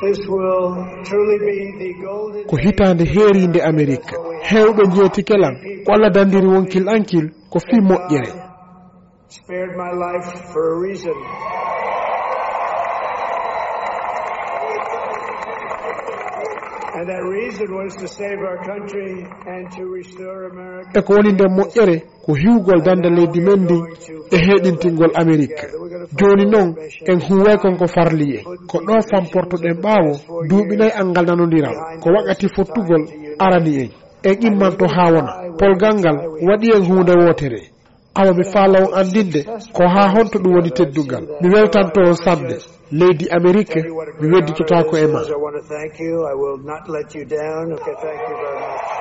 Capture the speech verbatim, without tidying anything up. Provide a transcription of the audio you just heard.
This will truly be the golden ko hitaande heeriinde Amerik. Heewɓe njeetike lan ko alla dandiri wonkil ankil ko fii moƴƴere. Spared my life for a reason. And that reason was to save our country and to restore America. E ko woni nden moƴƴere ko hiwgol dande leydi men ndin e heeɗintingol Amerik. Jooni non en huuway kon ko farli en. Ko ɗoo famportoɗen ɓaawo duuɓi nay anngal nanondiral ko wakkati fottugol arani en. En immanto haa wona polgal ngal waɗi en huunde wootere. Awa mi faala on anndinde ko haa honto ɗum woni teddungal. Mi weltanto on sanne. Leydi Amerik, mi wedditotaako e ma. I want to thank you. I will not let you down. Okay, thank you very much.